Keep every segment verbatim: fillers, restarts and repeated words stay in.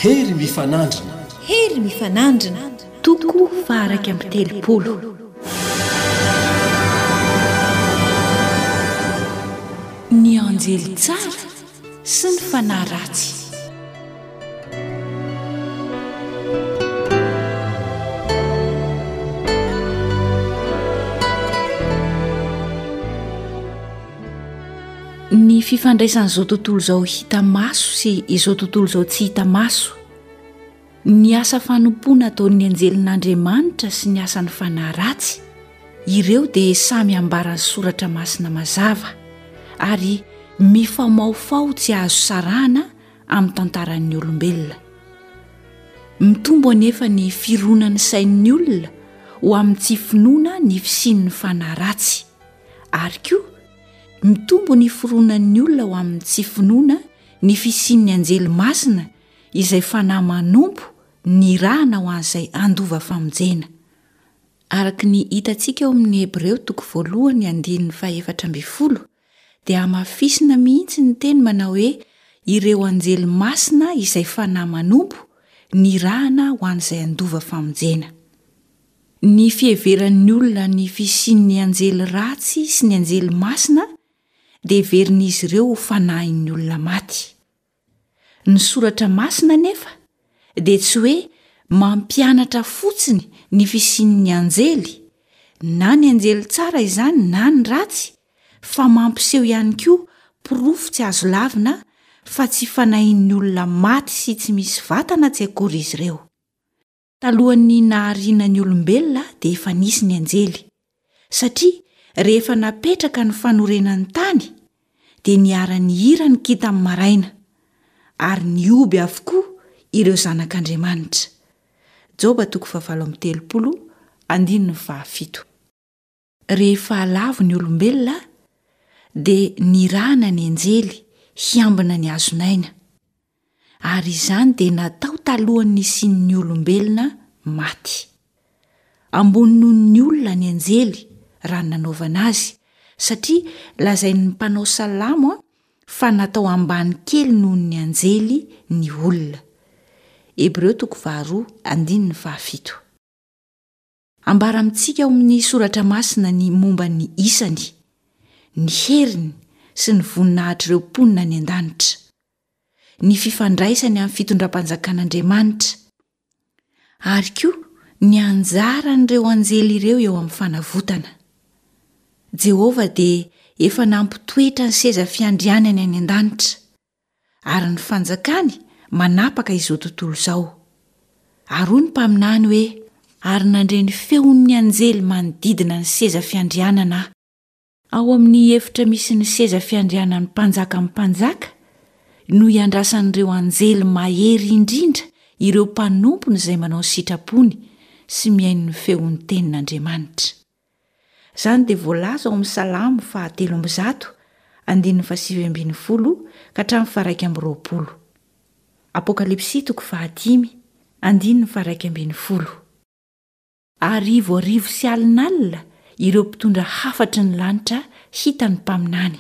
Hery mifanandrina. Hery mifanandrina. Toko faha-iraika amby telopolo. Ny anjely tsara sy ny fanahy ratsy. Ny fifandraisan'izao tontolo izao hita maso sy izao tontolo izao tsy hita maso. Ny asa fanompoana ataon'ny anjelin'Andriamanitra sy ny asan'ny fanahy ratsy, ireo dia samy ambaran'ny Soratra Masina mazava ary mifamahofaho tsy azo sarahana amin'ny tantaran'ny olombelona. Mitombo anefa ny fironan'ny sain'ny olona ho amin'ny tsy finoana ny fisian'ny fanahy ratsy, ary koa mitombo ny fironan'ny olona ho amin'ny tsy finoana ny fisian'ny anjely masina izay fanahy manompo nirahana ho an'izay handova famonjena. Araka ny hitantsika ao amin'ny Hebreo toko voalohany andininy fahefatra ambin'ny folo dia hamafisina mihitsy ny teny manao hoe ireo anjely masina izay fanahy manompo nirahana ho an'izay handova famonjena. Ny fiheveran'ny olona ny fisian'ny anjely ratsy sy ny anjely masina dia heverin'izy ireo ho fanahin'ny olona maty. Ny soratra masina anefa dia tsy hoe mampianatra fotsiny ny fisian'ny anjely, na ny anjely tsara izany na ny ratsy, fa mampiseho ihany koa porofo tsy azo lavina fa tsy fanahin'ny olona maty sy tsy misy vatana tsy akory izy ireo. Talohan'ny nahariana ny olombelona dia efa nisy ny anjely, satria rehefa napetraka ny fanorenan'ny tany dia niara-nihira ny kintan'ny maraina, ary nihoby avokoa ireo zanak'Andriamanitra. Joba toko fahavalo amby telopolo andininy fahafito. Rehefa lavo ny olombelona dia nirahana ny anjely hiambina ny hazon'aina, ary izany dia natao talohan'ny nisian'ny olombelona maty. Ambony noho ny olona ny anjely raha ny nanaovana azy, satria lazain'ny mpanao salamo fa natao ambany kely noho ny anjely ny olona. Hebreo toko faharoa andininy fahafito. Ambara amintsika ao amin'ny Soratra Masina ny momba ny isany, ny heriny sy ny voninahitr'ireo mponina any an-danitra, ny fifandraisany amin'ny fitondram-panjakan'Andriamanitra, ary koa ny anjaran'ireo anjely ireo eo amin'ny fanavotana. Jehovah dia efa nampitoetra ny seza fiandrianany any an-danitra. ary ny fanjakany manapaka izao tontolo izao. Ary hoy ny mpaminany hoe, Ary nandre ny feon'ny anjely manodidina ny seza fiandrianana aho. Ao amin'ny efitra misy ny seza fiandrianan'ny Mpanjakan'ny mpanjaka no iandrasan'ireo anjely mahery indrindra ireo mpanompony izay manao ny sitrapony sy mihaino ny feon'ny tenin'Andriamanitra. Izany dia voalaza ao amin'ny Salamo fahatelo amby zato, andininy fahasivy ambin'ny folo ka hatramin'ny faharaika amby roapolo. Apokalypsy toko fahadimy, andininy faharaika ambin'ny folo. Arivo arivo sy alinalina ireo mpitondra hafatry ny lanitra hitan'ny mpaminany.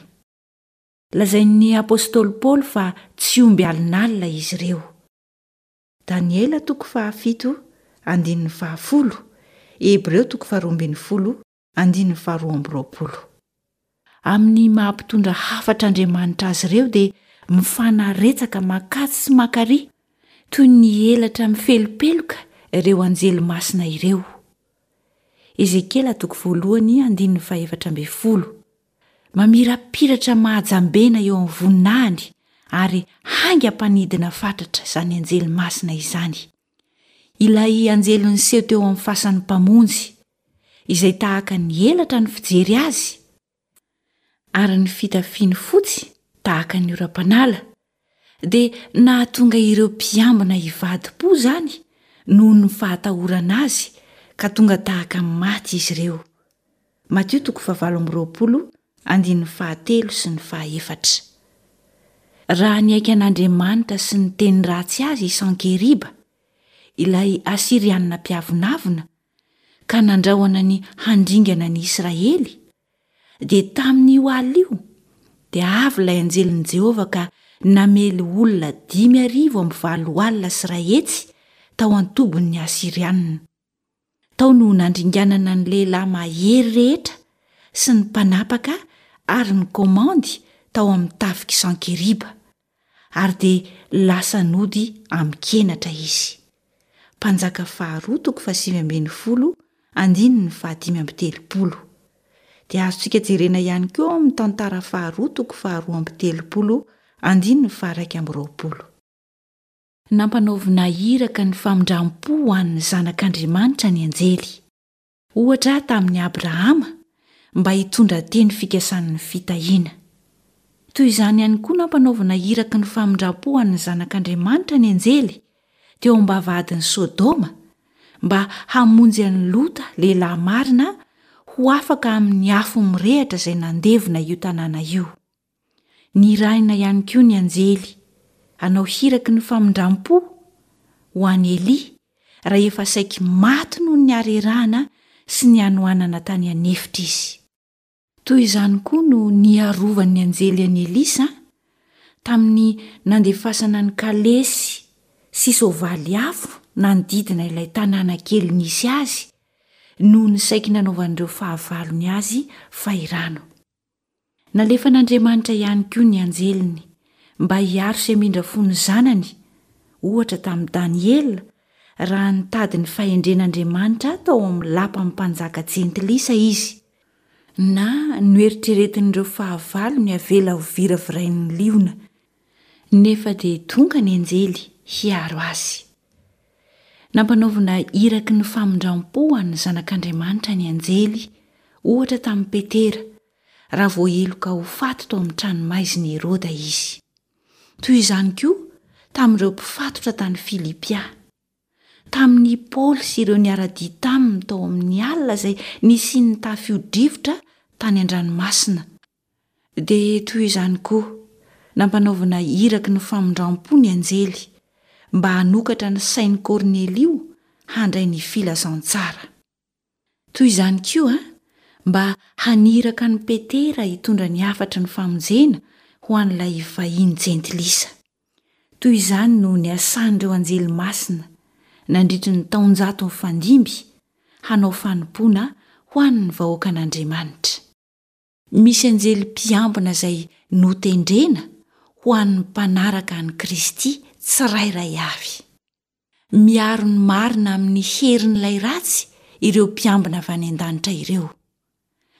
Lazain'ny apostoly Paoly fa tsy omby alinalina izy ireo. Daniela toko fahafito andininy fahafolo, Hebreo toko faharoa ambin'ny folo andininy faharoa amby roapolo. Amin'ny maha mpitondra hafatr'Andriamanitra azy ireo dia mifanaretsaka mankatsy sy mankaria toy ny elatra mifelopeloka ireo anjely masina ireo. Ezekiela toko voalohany andininy fahefatra ambin'ny folo. Mamirapiratra mahajambena eo amin'ny voninahiny ary haingam-panidina fatratra izany anjely masina izany. Ilay anjely niseho teo amin'ny fasan'ny Mpamonjy, izay tahaka ny elatra ny fijery azy, ary ny fitafiany fotsy tahaka ny oram-panala, dia nahatonga ireo mpiambina hivadi-po izany noho ny fahatahorana azy ka tonga tahaka ny maty izy ireo. Matio toko fahavalo amby roapolo andininy fahatelo sy ny fahaefatra. Raha niaiky an'Andriamanitra sy niteny ratsy azy i Sankeriba, ilay Asyrianina mpiavonavona, ka nandrahona ny handringana ny Israely, dia tamin'io alina io dia avy ilay anjelin'i Jehovah ka namely olona dimy arivo amby valo alina sy iray hetsy tao an-tobin'ny Asyrianina. Tao no nandringanana ny lehilahy mahery rehetra sy ny mpanapaka ary ny komandy tao amin'ny tafik'i Sankeriba, ary dia lasa nody amin-kenatra izy. Mpanjaka faharoa toko fahasivy ambin'ny folo andininy fahadimy amby telopolo. Dia azontsika jerena ihany koa ao amin'ny tantara faharoa toko faharoa amby telopolo andininy faharaika amby roapolo. Nampanaovina iraka ny famindram-po ho an'ny zanak'Andriamanitra ny anjely. Ohatra tamin'i Abrahama mba hitondra teny fikasan'ny fitahiana. Toy izany ihany koa nampanaovina iraky ny famindram-po ho an'ny zanak'Andriamanitra ny anjely teo am-bavahadin'i Sodoma mba hamonjy an'i Lota lehilahy marina ho afaka amin'ny afo mirehitra izay nandevona io tanàna io. Nirahina ihany koa ny anjely hanao hiraky ny famindram-po ho an'i Elia raha efa saiky maty noho ny harerahana sy ny hanoanana tany an'efitra izy. Toy izany koa no niarovan'ny anjely an'i Elisa tamin'ny nandefasana ny kalesy sy soavaly afo nanodidina ilay tanàna kely nisy azy noho ny saiky nanaovan'ireo fahavalony azy fahirano. Nalefan'Andriamanitra ihany koa ny anjeliny mba hiaro sy hamindra fo ny zanany, ohatra tamin'i Daniela raha nitady ny fahendren'Andriamanitra tao amin'ny lapan'ny mpanjaka jentilisa izy, na noeritreretin'ireo fahavalony avela ho viravirain'ny liona, nefa dia tonga ny anjely hiaro azy. Nampanaovina iraky ny famindram-po ho an'ny zanak'Andriamanitra ny anjely, ohatra tamin'i Petera, raha voaheloka ho faty tao amin'ny tranomaizin'i Heroda izy. Toy izany koa tamin'ireo mpifatotra tany Filipia. Tamin'i Paoly sy ireo niara-dia taminy tao amin'ny alina izay nisian'ny tafio-drivotra tany an-dranomasina. Dia toy izany koa, nampanaovina iraky ny famindram-po ny anjely mba hanokatra ny sain'i Kornelio handray ny filazantsara. Toy izany koa, mba haniraka an'i Petera hitondra ny hafatry ny famonjena ho an'ilay vahiny jentilisa. Toy izany no niasan'ireo anjely masina nandritry ny taonjato nifandimby hanao fanompoana ho an'ny vahoakan'Andriamanitra. Misy anjely mpiambina izay notendrena ho an'ny mpanaraka an'i Kristy tsirairay avy. Miaro ny marina amin'ny herin'ilay ratsy ireo mpiambina avy any an-danitra ireo.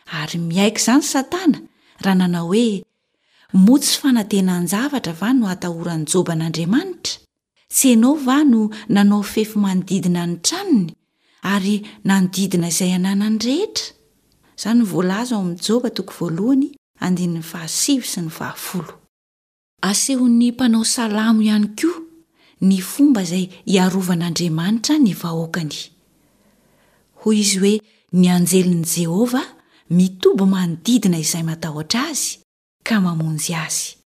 Ary miaiky izany Satana raha nanao hoe, Moa tsy fanantenan-javatra va no atahoran'i Joba an'Andriamanitra? Tsy ianao va no nanao fefy manodidina ny tranony ary nanodidina izay ananany rehetra? Izany no voalaza ao amin'ny Joba toko voalohany andininy fahasivy sy ny fahafolo. Asehon'ny mpanao salamo ihany koa ny fomba izay hiarovan'Andriamanitra ny vahoakany. Hoy izy hoe ny anjelin'i Jehovah mitoby manodidina izay matahotra azy ka mamonjy azy.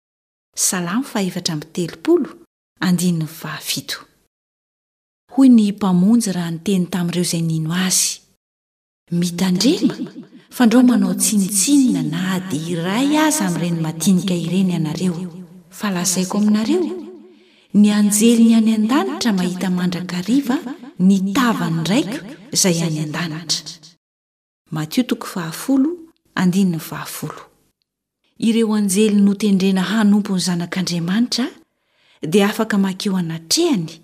Salamo fahefatra amby telopolo, andininy fahafito. Hoy ny Mpamonjy raha niteny tamin'ireo izay nino azy. Mitandrema fandrao manao tsinontsinona na dia iray aza amin'ireny madinika ireny ianareo, fa lazaiko aminareo, ny anjeliny any an-danitra mahita mandrakariva ny tavan'ny Raiko izay any an-danitra. Matio toko fahafolo, andininy fahafolo. Ireo anjely notendrena hanompo ny Zanak'Andriamanitra dia afaka mankeo anatrehany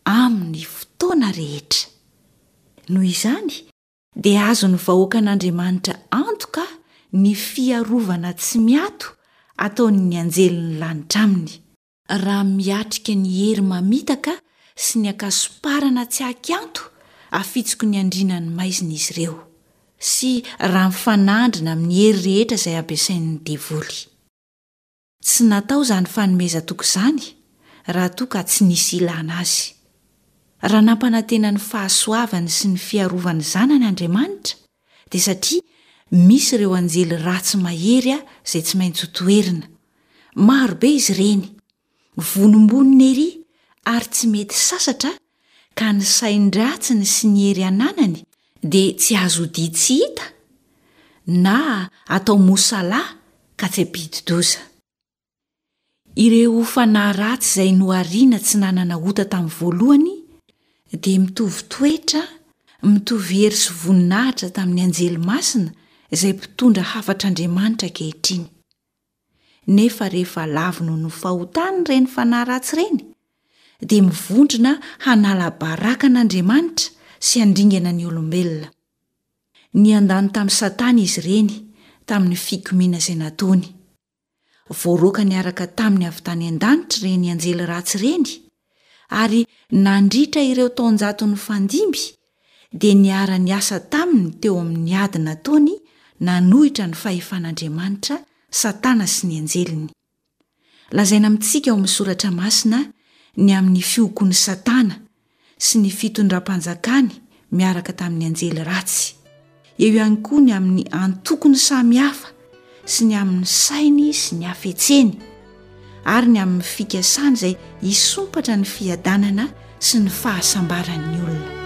amin'ny fotoana rehetra. Noho izany, dia azon'ny vahoakan'Andriamanitra antoka ny fiarovana tsy miato ataon'ny anjelin'ny lanitra aminy, raha miatrika ny hery mamitaka sy ny ankasomparana tsy ankianto afitsoky ny andriana ny maizina izy ireo, sy raha mifanandrina amin'ny hery rehetra izay ampiasain'ny devoly. Tsy natao izany fanomezan-toky izany raha toa ka tsy nisy ilana azy. Raha nampanantena ny fahasoavany sy ny fiarovan'ny zanany Andriamanitra, dia satria misy ireo anjely ratsy mahery izay tsy maintsy hotoherina. Maro be izy ireny, vonombonona ery ary tsy mety sasatra ka ny sain-dratsiny sy ny hery ananany dia tsy azo odia tsy hita na atao mosalahy ka tsy hampidi-doza. Ireo fanahy ratsy izay nohariana tsy nanana ota tamin'ny voalohany dia mitovy toetra, mitovy hery sy voninahitra tamin'ny anjely masina izay mpitondra hafatr'Andriamanitra ankehitriny. Nefa rehefa lavo noho ny fahotany ireny fanahy ratsy ireny, dia mivondrona hanala baraka an'Andriamanitra sy handringana ny olombelona. Niandany tamin'i Satana izy ireny tamin'ny fikomiana izay nataony. Voaroaka niaraka taminy avy tany an-danitra ireny anjely ratsy ireny, ary nandritra ireo taonjato nifandimby dia niara-niasa taminy teo amin'ny ady nataony nanohitra ny fahefan'Andriamanitra Satana sy ny anjeliny. Lazaina amintsika ao amin'ny Soratra Masina ny amin'ny fiokoan'i Satana sy ny fitondram-panjakany miaraka tamin'ny anjely ratsy. Eo ihany koa ny amin'ny antokony samihafa sy ny amin'ny sainy sy ny hafetseny ary ny amin'ny fikasany izay hisompatra ny fiadanana sy ny fahasambaran'ny olona.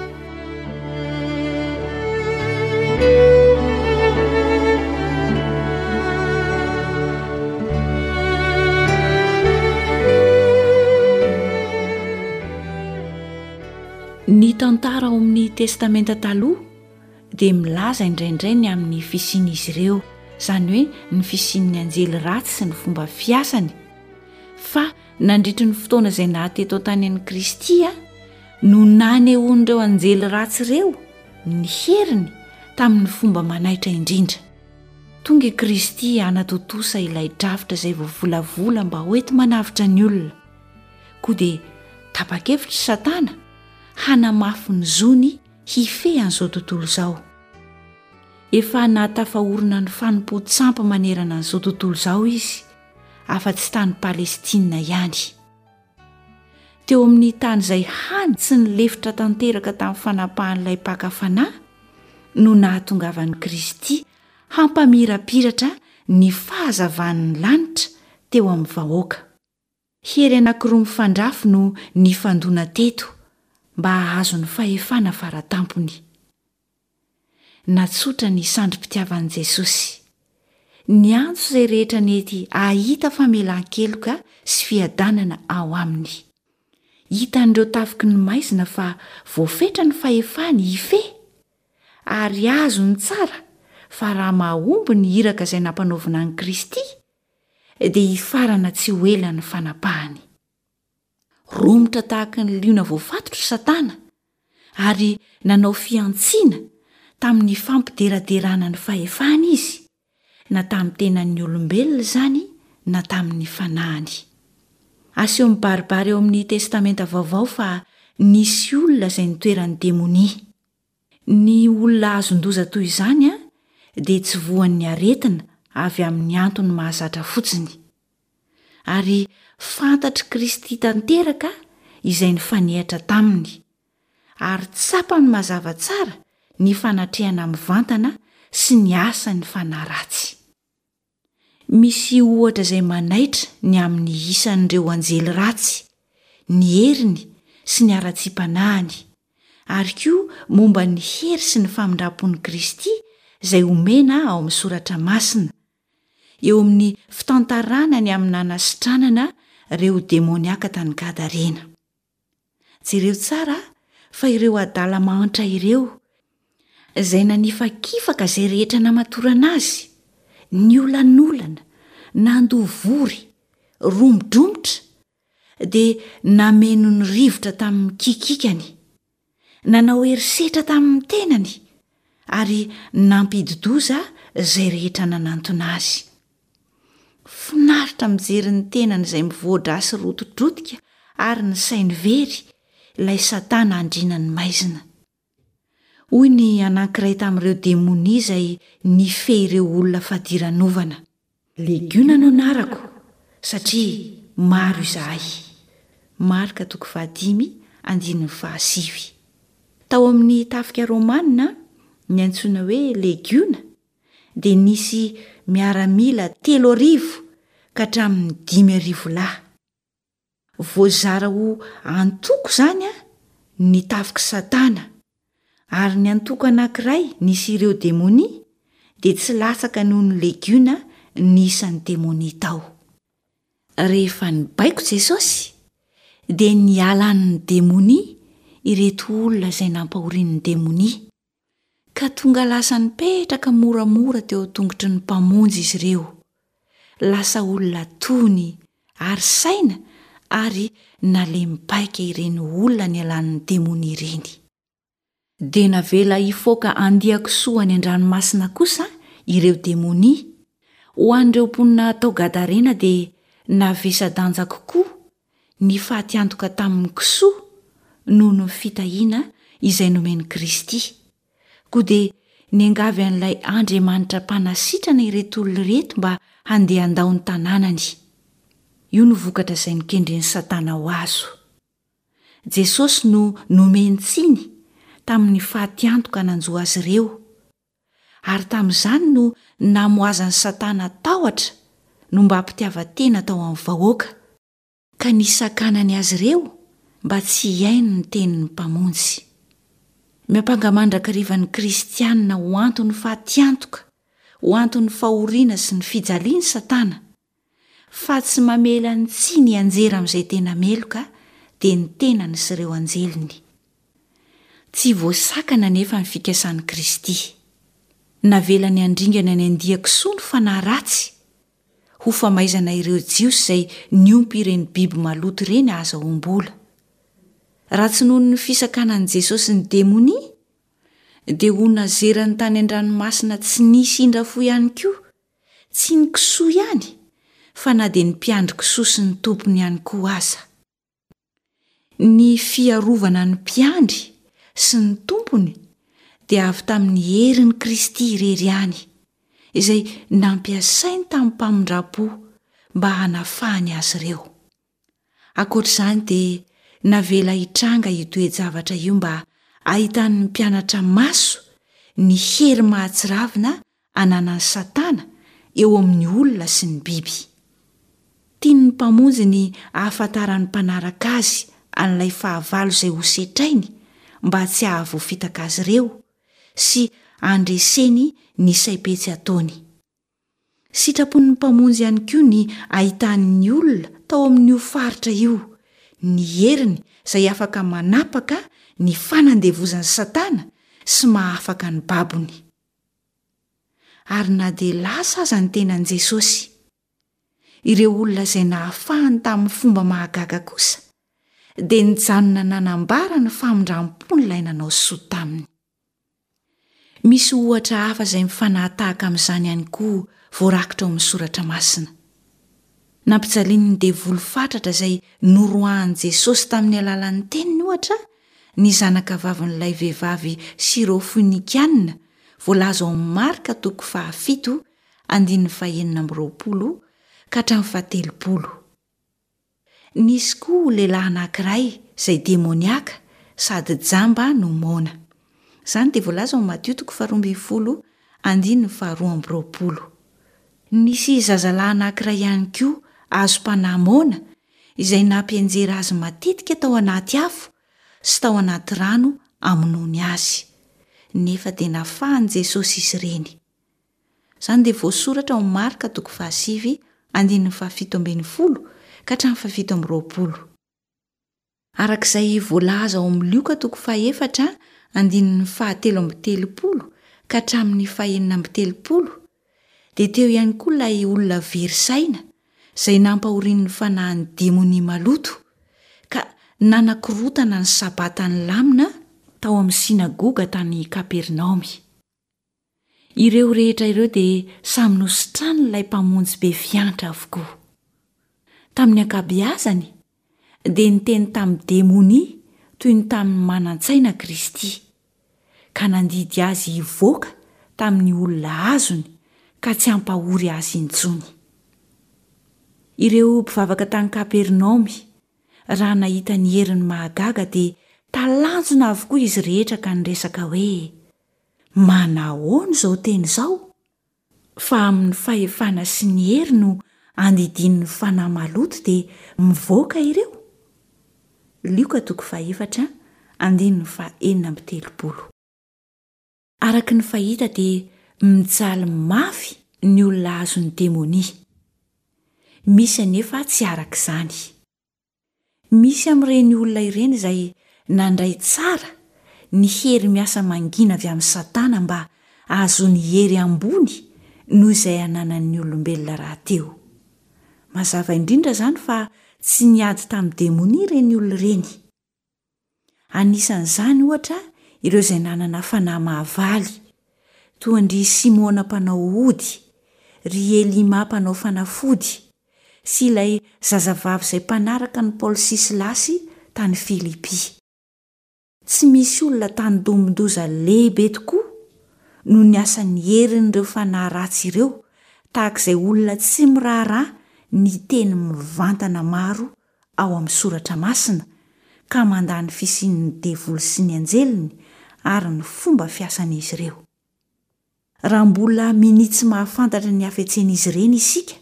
Ny tantara ao amin'ny Testamenta Taloha dia milaza indraindray ny amin'ny fisian'izy ireo, izany hoe ny fisian'ny anjely ratsy sy ny fomba fiasany, fa nandritry ny fotoana izay naha-teto an-tany an'i Kristy no nanehoan'ireo anjely ratsy ireo ny heriny tamin'ny fomba manaitra indrindra. Tonga i Kristy hanatontosa ilay drafitra izay voavolavola mba hoenti-manavotra ny olona. Koa dia tapa-kevitra i Satana hanamafy ny zony hifehy an'izao tontolo izao. Efa nahatafaorina ny fanompoan-tsampy manerana an'izao tontolo izao izy, afa-tsy tany Palestina ihany. Teo amin'ny tany izay hany tsy nilefitra tanteraka tamin'ny fanapahan'ilay mpaka fanahy no nahatongavan'i Kristy hampamirapiratra ny fahazavan'ny lanitra teo amin'ny vahoaka. Hery anankiroa mifandrafy no nifandona teto mba hahazo ny fahefana faratampony. Natsotra ny sandrim-pitiavan'i Jesosy. Niantso izay rehetra nety hahita famelan-keloka sy fiadanana ao aminy. Hitan'ireo tafiky ny maizina fa voafetra ny fahefany hifehy, ary azony tsara fa raha mahomby ny iraka izay nampanaovina an'i Kristy, dia hifarana tsy ho ela ny fanapahany. Romotra tahaka ny liona voafatotra Satana ary nanao fihantsiana tamin'ny fampideraderana ny fahefany izy, na tamin'ny tenan'ny olombelona izany na tamin'ny fanahiny. Aseho mibaribary ao amin'ny Testamenta Vaovao fa nisy olona izay nitoeran'ny demonia. Ny olona azon-doza toy izany dia tsy voan'ny aretina avy amin'ny antony mahazatra fotsiny. Ary fantatr'i Kristy tanteraka izay nifanehatra taminy, ary tsapany mazava tsara ny fanatrehana mivantana sy ny asan'ny fanahy ratsy. Misy ohatra izay manaitra ny amin'ny isan'ireo anjely ratsy, ny heriny sy ny haratsiam-panahiny, ary koa momba ny hery sy ny famindram-pon'i Kristy izay omena ao amin'ny Soratra Masina, eo amin'ny fitantarana ny amin'ny nanasitranana ireo demoniaka tany Gadarena. Jereo tsara fa ireo adala mahantra ireo, izay nanifakifaka izay rehetra namatorana azy, niolanolana, nandoa vory, romodromotra, dia nameno ny rivotra tamin'ny kikikany. Nanao herisetra tamin'ny tenany ary nampidi-doza izay rehetra nanantona azy. Finaritra mijery ny tenany izay mivoa-drà sy rotidrotika ary ny sainy very, ilay Satana andrinan'ny maizina. Hoy ny anankiray tamin'ireo demonia izay nifehy ireo olona fadiranovana. Legiona no anarako, satria maro izahay. Marka toko fahadimy andininy fahasivy. Tao amin'ny tafika romana, ny antsoina hoe legiona dia nisy miaramila telo arivo ka hatramin'ny dimy arivo lahy. Voazara ho antoko izany ny tafik'i Satana, ary ny antoko anankiray nisy ireo demonia dia tsy latsaka noho ny legiona ny isan'ny demonia tao. Rehefa nibaiko Jesosy, dia nialan'ny demonia ireto olona izay nampahorian'ny demonia, ka tonga lasa nipetraka moramora teo an-tongotry ny Mpamonjy izy ireo. Lasa olona tony ary saina ary nalemy paika ireny olona nialan'ny demonia ireny. Dia navela hifoaka andian-kisoa any an-dranomasina kosa ireo demonia. Ho an'ireo mponina tao Gadarena dia navesa-danja kokoa ny fatiantoka tamin'ny kisoa noho ny fitahiana izay nomen'i Kristy. Koa dia niangavy an'ilay Andriamanitra mpanasitrana ireto olona ireto mba handeha handao ny tanànany. Io no vokatra izay nokendren'i Satana ho azo. Jesosy no nomen-tsiny tamin'ny fatiantoka nanjo azy ireo, ary tamin'izany no namoazan'i Satana tahotra nombam-pitiavan-tena tao amin'ny vahoaka, ka nisakanany azy ireo mba tsy hihaino ny tenin'ny Mpamonjy. Miampanga mandrakariva ny Kristianina ho anton'ny fatiantoka, ho anton'ny fahoriana sy ny fijaliana Satana, fa tsy mamela ny tsiny hianjera amin'izay tena meloka dia ny tenany sy ireo anjeliny. Tsy voasakana anefa ny fikasan'i Kristy. Navelany handringana ny andian-kisoa ny fanahy ratsy, ho famaizana ireo Jiosy izay niompy ireny biby maloto ireny hahazahoam-bola. Raha tsy noho ny fisakanan'i Jesosy ny demonia, dia ho nazerany tany an-dranomasina tsy nisy indra fo ihany koa Tsy ny kisoa ihany fa na dia ny mpiandry kisoa sy ny tompony ihany koa aza. Ny fiarovana ny mpiandry sy ny tompony dia avy tamin'ny herin'i Kristy irery ihany, izay nampiasainy tamim-pamindram-po mba hanafahany azy ireo. Ankoatra izany dia navela hitranga io toe-javatra io mba hahitan'ny mpianatra maso ny hery mahatsiravina ananan'i Satana eo amin'ny olona sy ny biby. Tian'ny Mpamonjy ny hahafantaran'ny mpanaraka Azy an'ilay fahavalo izay hosetrainy mba tsy hahavoafitaka azy ireo sy handreseny ny saim-petsy ataony. Sitrapon'ny Mpamonjy ihany koa ny hahitan'ny olona tao amin'io faritra io ny heriny izay afaka manapaka ny fanandevozan'i Satana sy mahafaka ny babony. Ary na dia lasa aza ny tenan'i Jesosy, ireo olona izay nahafahany tamin'ny fomba mahagaga kosa dia nijanona nanambara ny famindram-pon'ilay nanao soa taminy. Misy ohatra hafa izay mifanahatahaka amin'izany ihany koa voarakitra ao amin'ny Soratra Masina. Nampijalian'ny devoly fatratra izay noroahan'i Jesosy tamin'ny alalan'ny teniny, ohatra, ny zanakavavin'ilay vehivavy Syrofoinikiana voalaza ao amin'ny Marka toko fahafito andininy fahenina amby roapolo ka hatramin'ny fahatelopolo. Nisy koa lehilahy anankiray izay demoniaka sady jamba no moana. Izany dia voalaza ao Matio toko faharoa ambin'ny folo andininy faharoa amby roapolo. Nisy zazalahy anankiray ihany koa azom-panahy moana izay nampianjera azy matetika tao anaty afo sy tao anaty rano hamonoany azy. Nefa dia nafahan'i Jesosy izy ireny. Izany dia voasoratra ao Marka toko fahasivy andininy fahafito ambin'ny folo ka hatramin'ny fahafito amby roapolo. Araka izay voalaza ao amin'ny Lioka toko fahefatra andininy fahatelo amby telopolo ka hatramin'ny fahenina amby telopolo, dia teo ihany koa ilay olona very saina izay nampahorian'ny fanahin'ny demonia maloto ka nanakorontana ny Sabata nilamina tao amin'ny synagoga tany Kapernaomy. Ireo rehetra ireo dia samy nositranin'ilay Mpamonjy be fiantra avokoa. Tamin'ny ankabeazany, dia niteny tamin'ny demonia toy ny tamin'ny manan-tsaina Kristy, ka nandidy azy hivoaka tamin'ny olona azony ka tsy hampahory azy intsony. Ireo mpivavaka tany Kapernaomy, raha nahita ny heriny mahagaga dia talanjona avokoa izy rehetra ka niresaka hoe, Manahoana izao teny izao? Fa amin'ny fahefana sy ny hery no andidian'ny fanahy maloto dia mivoaka ireo? Lioka toko fahefatra andininy fahenina amby telopolo. Araka ny fahita dia mijaly mafy ny olona azon'ny demonia. Misy anefa tsy araka izany. Misy amin'ireny olona ireny izay nandray tsara ny hery miasa mangina avy amin'i Satana mba hahazoany hery ambony noho izay ananan'ny olombelona rahateo. Mazava indrindra izany fa tsy niady tamin'ny demonia ireny olona ireny. Anisan'izany, ohatra, ireo izay nanana fanahy mahavaly, toa an-dry Simona mpanao ody, ry Elima mpanao fanafody, sy ilay zazavavy izay mpanaraka an'i Paoly sy Silasy tany Filipy. Tsy misy olona tandindomin-doza lehibe tokoa noho ny asan'ny herin'ireo fanahy ratsy ireo tahaka izay olona tsy miraharaha ny teny mivantana maro ao amin'ny Soratra Masina ka mandà ny fisian'ny devoly sy ny anjeliny ary ny fomba fiasan'izy ireo. Raha mbola minia tsy mahafantatra ny hafetsen'izy ireny isika,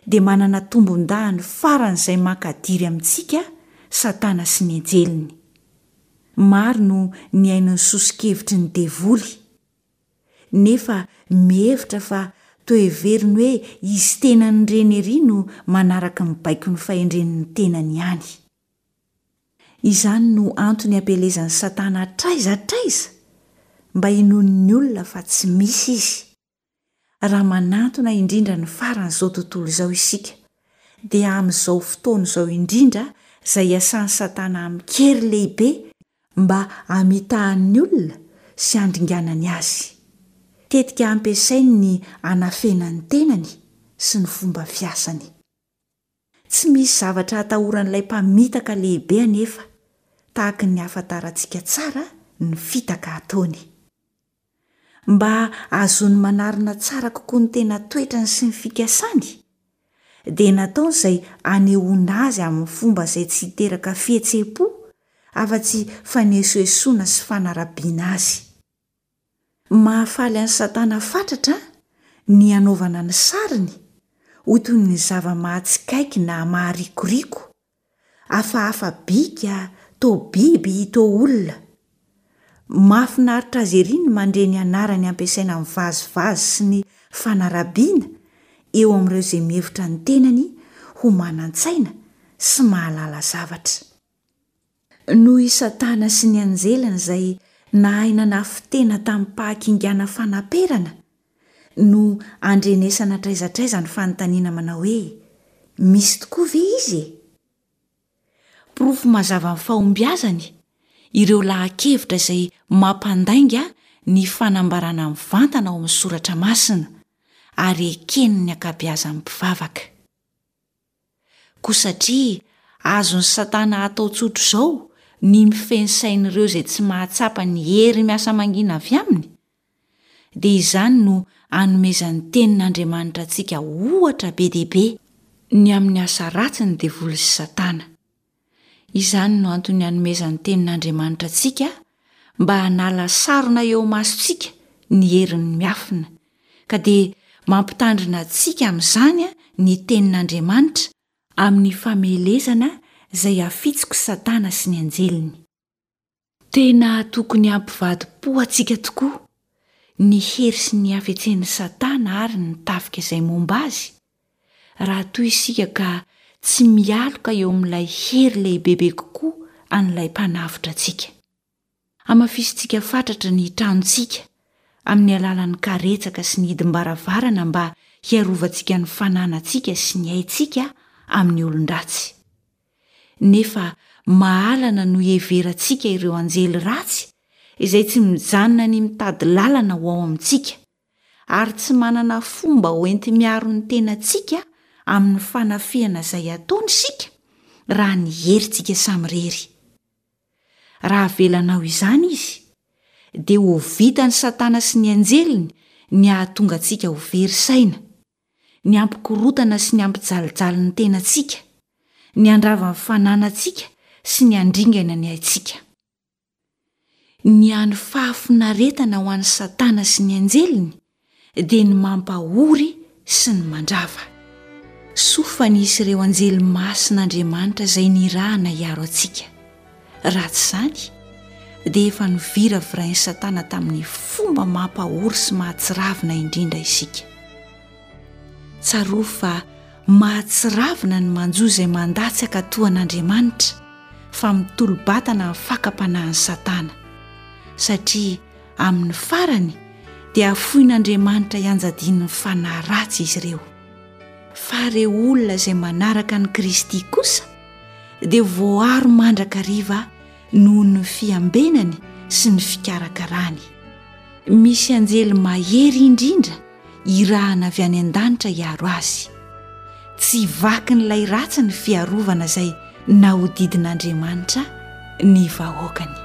dia manana tombon-dahiny faran'izay mankadiry amintsika Satana sy ny anjeliny. Maro no nihaino ny soso-kevitry ny devoly, nefa mihevitra fa toa heveriny hoe izy tenany ireny ery no manaraka ny baikon'ny fahendren'ny tenany ihany. Izany no antony ampielezan'i Satana hatraiza hatraiza mba hinoan'ny olona fa tsy misy izy. Raha manantona indrindra ny faran'izao tontolo izao isika, dia amin'izao fotoana izao indrindra izay iasan'i Satana amin-kery lehibe mba hamitahany ny olona sy handringanany azy. Tetika ampiasainy ny hanafenany ny tenany sy ny fomba fiasany. Tsy misy zavatra atahoran'ilay mpamitaka lehibe anefa, tahaka ny ahafantarantsika tsara ny fitaka ataony. Mba hahazoany manarina tsara kokoa ny tena toetrany sy ny fikasany, dia nataony izay hanehoana azy amin'ny fomba izay tsy hiteraka fihetseham-po afa-tsy fanesoesoana sy fanarabiana azy. Mahafaly an'i Satana fatratra ny hanaovana ny sariny ho toy ny zava-mahatsikaiky na maharikoriko, Hafahafa bika, toa biby, toa olona. Mahafinaritra azy ery ny mandre ny anarany ampiasaina amin'ny vazivazy sy ny fanarabiana eo amin'ireo izay mihevitra ny tenany ho manan-tsaina sy mahalala zavatra. Noho i Satana sy ny anjeliny izay nahay nanafin-tena tamim-pahakingana fanaperana no andrenesana hatraiza hatraiza ny fanontaniana manao hoe, Misy tokoa ve izy e? Porofo mazava ny fahombiazany ireo laha-kevitra izay mampandainga ny fanambarana mivantana ao amin'ny Soratra Masina ary eken'ny ankabeazan'ny mpivavaka. Koa satria azon'i Satana atao tsotr'izao ny mifehy ny sain'ireo izay tsy mahatsapa ny hery miasa mangina avy aminy, dia izany no anomezan'ny Tenin'Andriamanitra antsika ohatra be dia be ny amin'ny asa ratsin'ny devoly sy Satana. Izany no antony anomezan'ny Tenin'Andriamanitra antsika mba hanala sarona eo imasontsika ny herin'ny miafina, ka dia mampitandrina antsika amin'izany ny Tenin'Andriamanitra amin'ny famelezana izay hafitsok'i Satana sy ny anjeliny. Tena tokony hampivadi-po antsika tokoa ny hery sy ny hafetsen'i Satana ary ny tafika izay momba azy, raha toa isika ka tsy mialoka eo amin'ilay hery lehibebe kokoa an'ilay Mpanavotra antsika. Hamafisintsika fatratra ny tranontsika amin'ny alalan'ny karetsaka sy ny hidim-baravarana mba hiarovantsika ny fananantsika sy ny aintsika amin'ny olon-dratsy. Nefa mahalana no iheverantsika ireo anjely ratsy izay tsy mijanona ny mitady lalana ho ao amintsika, ary tsy manana fomba hoenti-miaro ny tenantsika amin'ny fanafihana izay ataony isika raha ny herintsika samirery. Raha avelanao izany izy, dia ho vitan'i Satana sy ny anjeliny ny hahatonga antsika ho very saina, ny hampikorontana sy ny hampijalijaly ny tenantsika, ny handrava ny fananantsika sy ny handringana ny aintsika. Ny hany fahafinaretana ho an'i Satana sy ny anjeliny dia ny mampahory sy ny mandrava. Soa fa nisy ireo anjely masin'Andriamanitra izay nirahana hiaro antsika. Raha tsy izany, dia efa noviravirain'i Satana tamin'ny fomba mampahory sy mahatsiravina indrindra isika. Tsarovy fa Mahatsiravina ny manjo izay mandà tsy hankatò an'Andriamanitra fa mitolo-batana amin'ny fakam-panahin'i Satana, satria amin'ny farany dia hafoin'Andriamanitra hianjadian'ny fanahy ratsy izy ireo. Fa ireo olona izay manaraka an'i Kristy kosa dia voaro mandrakariva noho ny fiambenany sy ny fikarakarany. Misy anjely mahery indrindra irahana avy any an-danitra hiaro azy. Tsy vakin'ilay ratsy ny fiarovana izay nahodidin'Andriamanitra ny vahoakany.